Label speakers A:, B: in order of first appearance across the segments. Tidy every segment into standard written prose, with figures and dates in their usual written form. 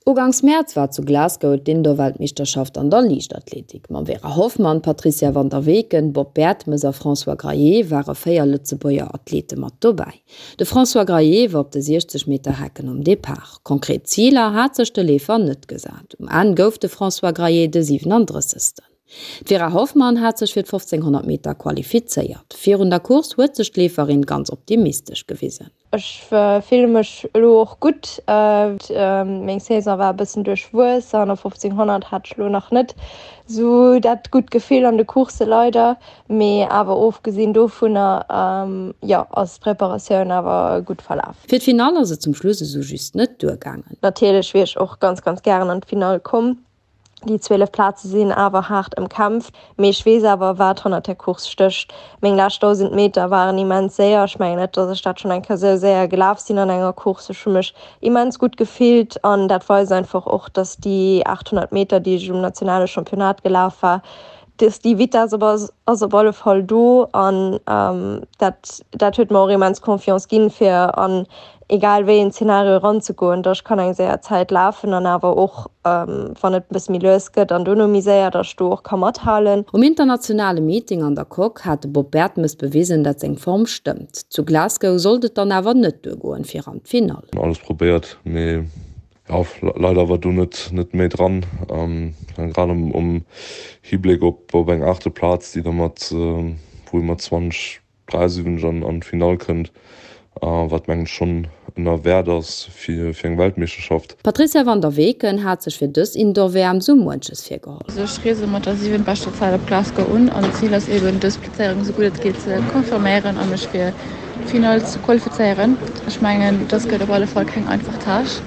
A: Ugangs Mäerz war zu Glasgow d'Indoor-Weltmeeschterschaft an der Liichtathletik. Mam Vera Hoffmann, Patricia van der Weken, Bob Bertemes a François Graillet ware 4 Lëtzebuerger Athlete mat dobäi. De François Graillet war op de 60 Meter Hecken um Depart. Konkret Ziler hat sech de Leefer net gesat. Um Enn gouf de François Graillet de 37. D'Vera Hoffmann hat sech fir d'1500 Meter qualifizéiert. Virun der Course huet sech d'Leeferin ganz optimistesch gewisen.
B: Ech fille mech elo och gutt. Meng Saison war e bëssen duerchwuess an op 1500 hat ech elo nach net esou dat gutt Gefill an de Coursse leider. Mee awer ofgesinn dovunner, jo, ass d'Preparatioun awer gutt verlaf.
A: Fir d'Finall ass et zum Schluss esou just net duergaangen.
B: Natierlech wier ech och ganz, ganz gären an d'Finall komm. Déi 12 Plaze sinn awer haart ëmkämpft, mee ech weess awer, wat hannert der Course stécht. Meng lescht 1.000 Meter waren immens séier. Ech mengen net, datt ech dat schonn eng Kéier esou séier gelaf sinn an enger Course. Ech hu mech immens gutt gefillt an dat weist einfach och, datt déi 800 Meter, déi ech um nationale Championnat gelaf war, datt déi Vitess op ass op alle Fall do an dat dat huet mer och immens Confiance ginn, fir an egal wéi een Zeenario eranzegoen, datt ech kann eng séier Zäit lafen an awer och wann et e bësse méi lues gëtt an dono méi séier, datt ech do och ka mathalen.
A: Um internationale Meeting an der Coque hat de Bob Bertemes bewisen, dat seng Form stëmmt. Zu Glasgow sollt et dann awer net duergoen fir an d'Finall.
C: Alles probéiert, mee jo, leider war do net net méi dran. Grad um Hibléck op op eng aachte Plaz, déi da mat wou ee mat 20 73 an an d'Finall kënnt, wat mengen ech schonn ënner Wäert ass fir fir eng Weltmeeschterschaft.
A: D'Patrizia van der Weken hat sech fir dës Indoor-WM sou muenches virgeholl.
D: Also ech reese mat der siwentbeschter Zäit op Glasgow un an d'Zil ass eben dës Plazéierung esou gutt et geet ze confirméieren a mech fir d'Finall ze qualifizéieren. Ech mengen dës gëtt op alle Fall keng einfach Tâche,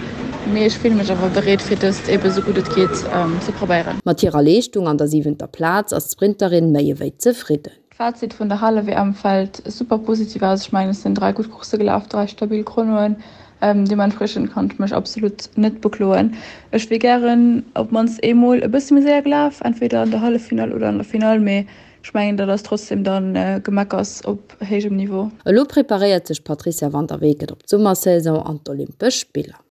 D: mee ech fille mech awer bereet fir dëst eben esou gutt et geet ze probéieren.
A: Mat hirer Leeschtung an der siwenter Plaz ass d'Sprinterin méi ewéi zefridden.
D: D'Fazit vun der Hale-WM fält super positiv aus. Ech mengen, ech sinn 3 gutt Coursse gelaf, 3 stabil Chronoen. Deementspriechend kann ech mech absolut net bekloen. Ech wier gären op d'mannst eemol e bësse méi séier gelaf, entweder an der Halleffinall oder an der Finall, mee ech mengen, dat ass trotzdem dann Gemeckers op héijem Niveau.
A: Elo preparéiert sech d'Patrizia van der Weken op d'Summersaison an d'Olympesch Spiller.